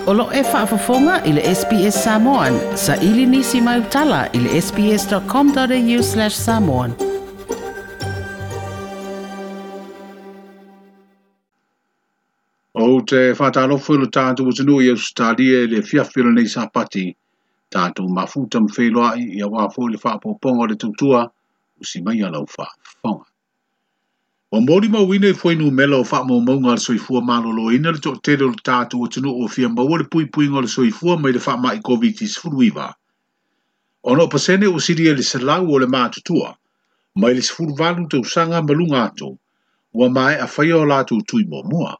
O lo o faafofoga i le SBS Samoan. Saili nisi mai utala i le sbs.com.au/samoan. Ou te faatalofa i lo tatou atunuu i Ausetalia i le afiafi o lenei Sapati, tatou mafuta ma feiloai aua foi le faaopoopoga o le tautua, usi mai lau faafofoga. Ua molimauina i fuainumera o faamaumauga a le soifua maloloina le toatele o le tatou atunuu o fia maua le puipuiga o le soifua mai le faamai Koviti-19. 6% ua silia i le 100 o le matutua, mai le 18 tausaga ma luga atu, ua maea faia o latou tui muamua.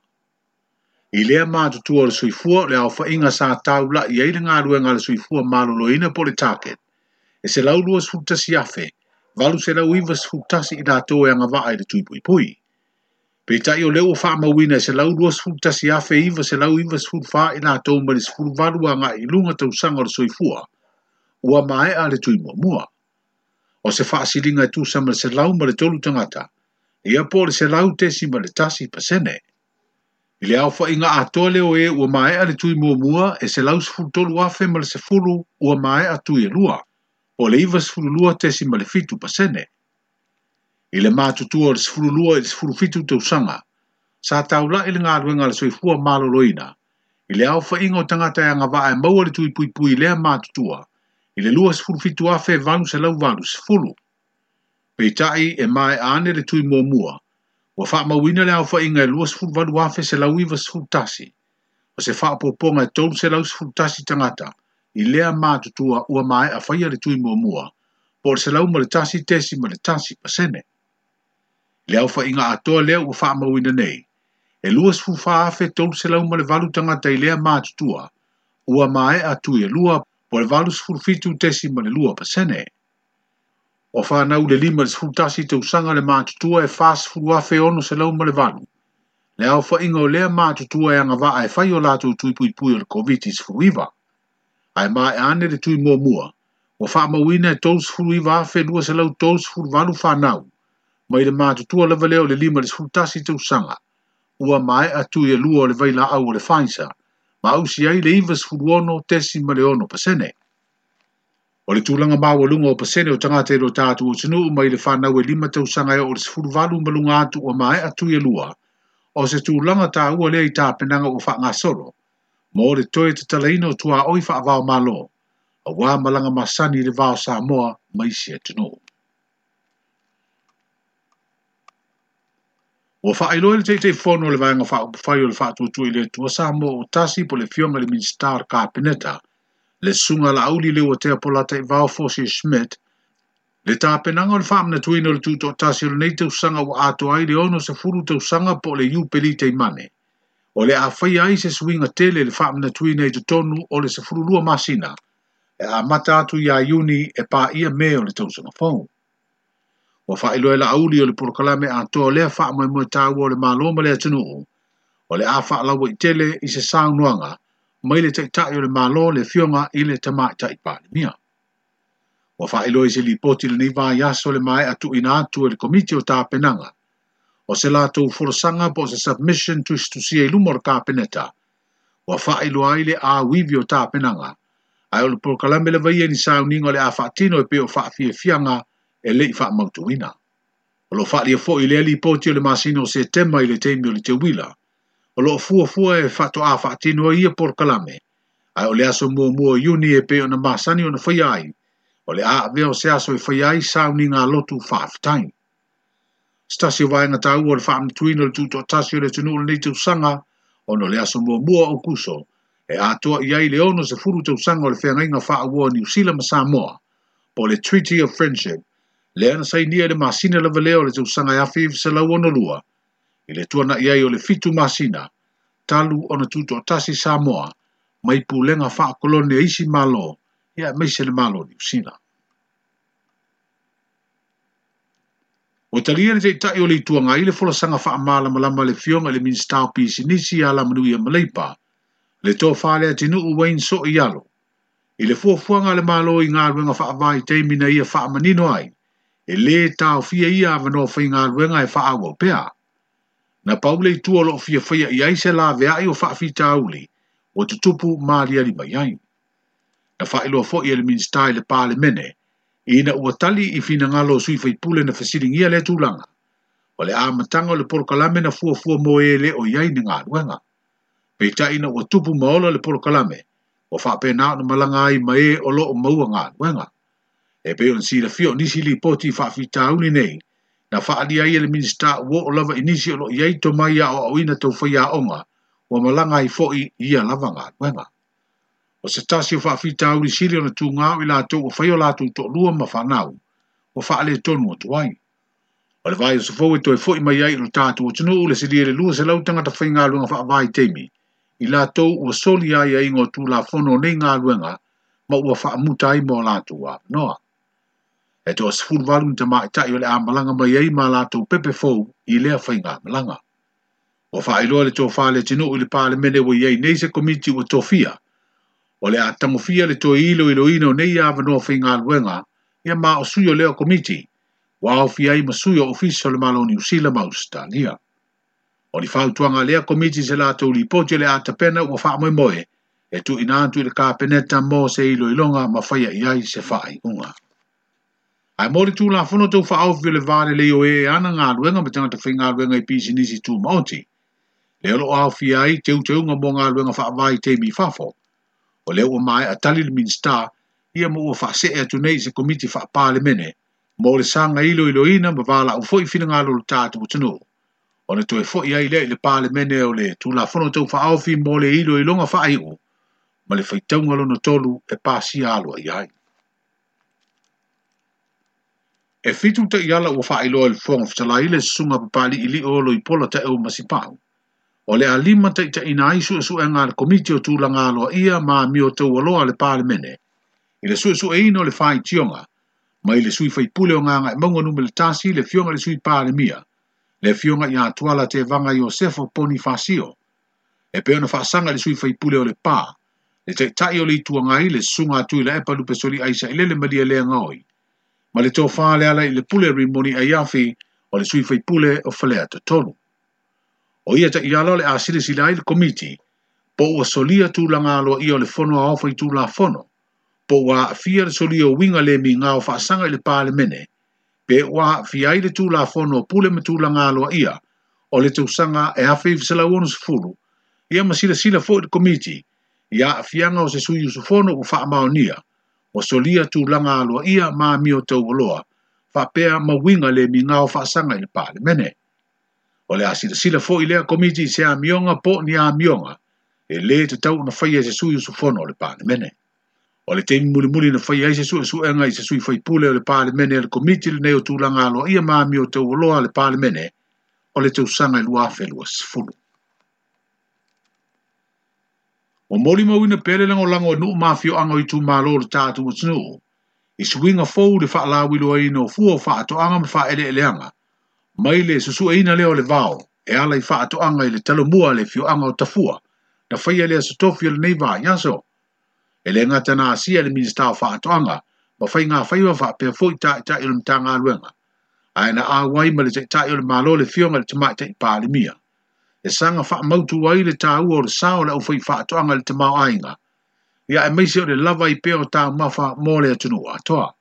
I lea matutua o le soifua o le aofaiga sa taulai ai le galuega a le soifua maloloina po o le target, e 121,891 i latou e agavaa i le tui puipui. Peitai o lea ua faamauina e 121,994 i latou mai le 18 agai i luga tausaga o le soifua, ua maea le tui muamua. O se faasiliga e tusa ma le 103 tagata, ia po o le 100.1%. I le aofaiga atoa lea o e ua maea le tui muamua e 113,010 ua maea tui e lua, po o le 92.7%. I le matutua o le 12 i le 17 tausaga, sa taulai le galuega a le soifua maloloina, i le aofaiga o tagata e agavaa e maua le tui puipui i lea matutua, i le 27,880. Peitai e maea ane le tui muamua, ua faamauina le aofaiga e 28,191, o se faaopoopoga e 311 tagata i lea matutua ua maea faia le tui muamua, po o le 101.1%. I le aofaiga atoa lea ua faamauina nei, e 24,308 tagata i lea matutua ua maea tui e lua, po o le 87.2%. O fanau le 5 i le 11 tausaga le matutua e 40,608. Le aofaiga o lea matutua e agavaa e fai o latou tui puipui o le Koviti-19. Ae maea ane le tui muamua, ua faamauina e 39,238 fanau, mai le matutua lava lea o le 5 i le 11 tausaga, ua maea tui e lua o le vailaau o le Pfizer, ma ausi ai le 96.6%. O le tulaga maualuga o pasene o tagata i lo tatou atunuu mai le fanau e 5 tausaga e oo i le 18 ma luga atu ua maea tui e lua, o se tulaga taua lea i tapenaga ua faagasolo, mo le toe tatalaina o tuaoi faavao malo, aua malaga masani i le va o Samoa ma isi atunuu. Ua faailoa i le Taitaifono o le Vaega Faaupufai o le Faatuatua i le Atua Samoa o Tasi po o le Afioga i le Minisita o le Kapeneta, le Susuga Laauli Leuatea Polataivao Fosi Schmidt, le tapenaga o le faamanatuina o le tutoatasi o lenei tausaga ua atoa ai le 60 tausaga po o le Iupeli Taimane. O le a faia ai se suiga tele i le faamanatuina i totonu o le 12 masina, e amata atu ia Iuni e paia Me o le tausaga fou. Ua faailoa e Laauli o le polokalame atoa lea faamoemoe taua o le Malo ma le atunuu, o le a faalauaitele i se saunoaga mai le Taitai o le Malo le Afioga i le Tamaitai Palemia. Ua faailoa i se lipoti lenei vaiaso le maea tuuina atu e le Komiti o Tapenaga, o se latou folasaga po o se submission tusitusia i luma o le Kapeneta, ua faailoa ai le auivi o tapenaga, ae o le polokalame lava ia ni sauniga o le a faatino e pei o faafiafiaga e le i faamautuina. O lo o faaalia foi i lea lipoti o le masina o Setema i le taimi o le teuila, o lo o fuafua e faatoa faatino ai ia polokalame, ae o le aso muamua o Iuni e pei ona masani ona faia ai, o le a avea o se aso e faia ai sauniga a lotu faafetai. Se tasi o vaega taua o le faamanatuina o le tutoatasi o le atunuu o lenei tausaga, ona o le aso muamua o Aokuso, e atoa i ai le 60 tausaga o le feagaiga faauoa o Niu Sila ma Samoa, po o le Treaty of Friendship, lea na sainia i le masina lava lea o le tausaga e 1962, i le tuanai ai o le 7 masina, talu ona tutoatasi Samoa, mai pulega faakolone a isi malo, ia aemaise le Malo o Niu Sila. Ua talia le Taitai o le Itu Agai le folasaga faamalamalama a le Afioga i le Minisita o Pisinisi ia Alamanuia Maleipa, le tofa le atinuu Wayne Soialo, i le fuafuaga a le Malo i galuega faavaitaimi na ia faamanino ai, e lē taofia ia avanoa faigaluega e faaauau pea. Na pau le itu o lo o fia faia i ai se laveai o faafitauli, ua tutupu ma aliali mai ai. Na faailoa foi e le Minisita i le Palemene ina ua tali i finagalo o sui faipule na fesiligia lea tulaga, o le amataga o le polokalame na fuafua mo e le o i ai ni galuega. Peitai ina ua tupu ma ola le polokalame, ua faapena ona malaga ai ma e o lo o maua galuega. E pei ona silafia o nisi lipoti i faafitauli nei, na faaalia ai e le Minisita ua oo lava i nisi o lo o i ai tomai aoaoina tau faiaoga ua malaga ai foi i ia lava galuega. O se tasi o faafitauli sili ona tuga o i latou ua fai o latou toalua ma fanau, ua faaletonu atu ai. O le vaiaso fou e toe foi mai ai i lo tatou atunuu le silia i le 200 tagata faigaluega faavaitaimi, i latou ua soli aiaiga o Tulafono o nei galuega ma ua faamuta ai ma o latou avanoa. E toa 18 ni tamaitai o le a malaga mai ai ma latou pepe fou i lea faigamalaga. Ua faailoa le tofa Leatinuu i le Palemene ua i ai nei se komiti ua tofia, o le a tagofia le toe iloiloina o nei avanoa faigaluega ia ma o sui o lea komiti, ua aofia ai ma sui o Ofisa o le Malo o Niu Sila ma Ausetalia. O ni fautuaga a lea komiti i se latou lipoti o le a tapena ua faamoemoe e tuuina atu i le Kapeneta mo se iloiloga ma faia i ai se faaiuga. Ae mo le Tulafono Tau Faaofi o le Va Lelei o E Ana Galuega ma Tagata Faigaluega i Pisinisi Tumaoti, lea o lo o aofia ai teuteuga mo galuega faavaitaimi i fafo, o lea ua maea tali le Minisita ia ma ua faasee atu nei i se Komiti Faa-Palemene mo le saga iloiloina ma valaau foi finagalo o le tatou atunuu, ona toe foi ai lea i le Palemene o le Tulafono Tau Faaofi mo le iloiloga faaiu ma le faitauga lona tolu e pasia aloaia ai. E 7 taiala ua faailoa i le Fofoga Fetalai le susuga Papali'ili'o Loipola Taeu Masipau, o le a lima taitaiina ai suesuega a le Komiti o Tulaga Aloaia ma Amio Taualoa a le Palemene i le suesueina o le faitioga mai le sui faipule o Gagaemauga Nu.1 le Afioga i le Sui Palemia, le Afioga ia Tuala Tevaga Iosefo Ponifasio, e pei ona faasaga i le sui faipule o Lepa, le Taitai o le Itu Agai, le Susuga a Tuilaepa Lupesoliai Sailele Malielegaoi, ma le tofa Lealailepule Rimoni Aiafi o le sui faipule o Faleata 3. O ia taiala o le a silasila ai le Komiti, po ua solia tulaga aloaia o le Fono Aoao Faitulafono, po ua aafia le solia o uiga le migao faasaga i le Palemene, pe ua aafia ai le Tulafono o Pule ma Tulaga Aloaia o le tausaga e 1960, ia ma silasila foi le Komiti i aafiaga o se sui usufono ua faamaonia, ua solia tulaga aloaia ma amio taualoa, faapea ma uiga le migao faasaga i le Palemene. O le a silasila foi lea Komiti i se amioga po o ni amioga e lē tatau ona faia e se sui usufono o le Palemene. O le taimi mulimuli na faia ai se suesuega i se sui faipule o le Palemene a le Komiti lenei o Tulaga Aloaia ma Amio Taualoa a le Palemene o le tausaga e 2020. Ua molimauina pea le lagolago a nuu ma afioaga o itumalo o le tatou atunuu i suiga fou i le faalauiloaina o fua o faatoaga ma faaeleeleaga mai le susueina lea o le vao e ala i faatoaga i le talomua a le afioaga o Tafua na faia le aso tofi o lenei vaiaso. E le gata na asia le Minisita o Faatoaga ma Faiga Faiva faapea foi taitai o le Matagaluega, ae na auai ma le Taitai o le Malo le Afioga i le Tamaitai Palemia, e saga faamautu ai le taua o le sao o le aufaifaatoaga i le tamaoaiga, ia aemaise o le lava ai pea o taumafa mo le atunuu atoa.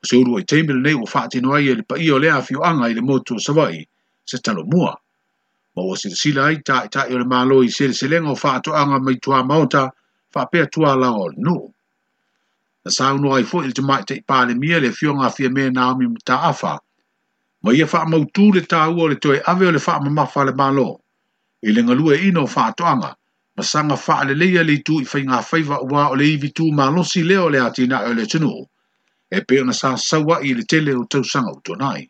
O se uluai taimi lenei ua faatino ai e le paia o lea afioaga i le motu o Savaii se talomua, ma ua silasila ai taitai o le Malo i seleselega o faatoaga mai tuamaota faapea tualaoa o le nuu. Na saunoa ai foi le Tamaitai Palemia le Afioga a Fiame Naomi Mataafa, ma ia faamautu le taua o le toe ave o le faamamafa a le Malo i le galueaiina o faatoaga ma saga faaleleia le itu i faiga faiva aua o le ivi tu malosi lea o le atinae o le atunuu e pei ona sa saua'i i le tele o tausaga ua tuanai.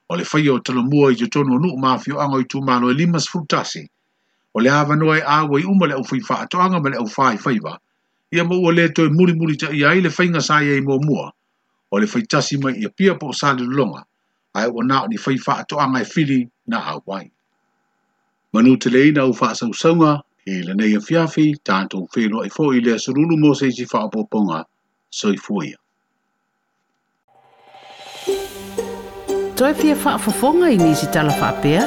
O le faia o talomua i totonu o nuu ma afioaga o itumalo e 51, o le avanoa e auai uma le aufaifaatoaga ma le aufaifaiva, ia ma ua le toe mulimulitaia ai le faiga sa i ai muamua, o le faitasi mai i Apia po o Salelologa, ae ua na o ni faifaatoaga e fili na auai. Manuteleina au faasausauga i lenei afiafi, tatou feiloai foi i le aso lulu mo se isi faaopoopoga. Soifua ia. Toe fia faafofoga i nisi tala faapea?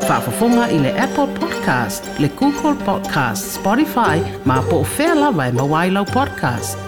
Faafofoga i le Apple Podcast, le Google Podcast, Spotify, ma po o fea lava e maua ai lau podcast.